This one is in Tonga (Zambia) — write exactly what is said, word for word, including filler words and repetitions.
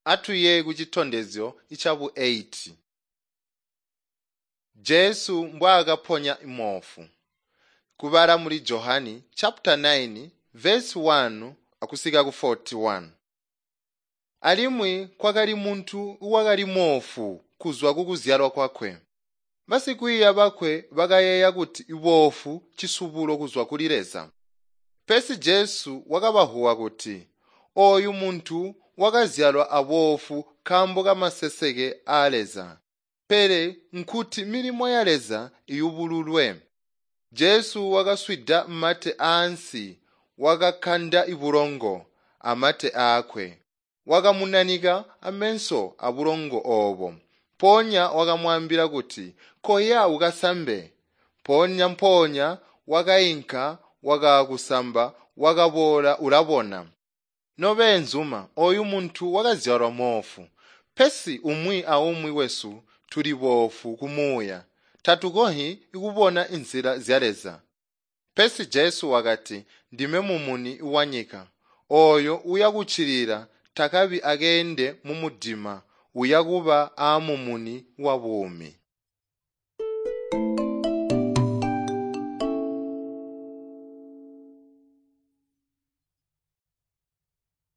Atuye kucitondezyo icabu eight. Jesu mbwaakaponya moofu. Kubala muli Johani chapter nine verse one akusika ku forty-one. Alimwi kwakali muntu wakali moofu kuzwa kukuzyalwa kwakwe. Basikwiiya bakwe bakayeeya kuti iboofu cisubulo kuzwa kuli Leza. Pesi Jesu wakabahuwa kuti, ooyu muntu wakazyalwa aboofu nkaambo kamaseseke aa Leza, pele nkuti milimo ya Leza iyubululwe. Jesu wakaswida mate aansi, wakakanda ibulongo amate aakwe, wakamunanika amenso abulongo oobo. Mpoonya wakamwaambila kuti, koya ukasambe. Mpoonya mpoonya wakainka wakaakusamba, wakaboola ulabona. Nobeenzuma, ooyu muntu wakazyalwa moofu, pesi umwi aumwi wesu tuli boofu kumuuya, tatukonzyi kubona inzila zya Leza. Pesi Jesu wakati, ndime mumuni wanyika. Ooyo uyakuccilila takabi akeende mumudima, uyakuba aamumuni wa buumi.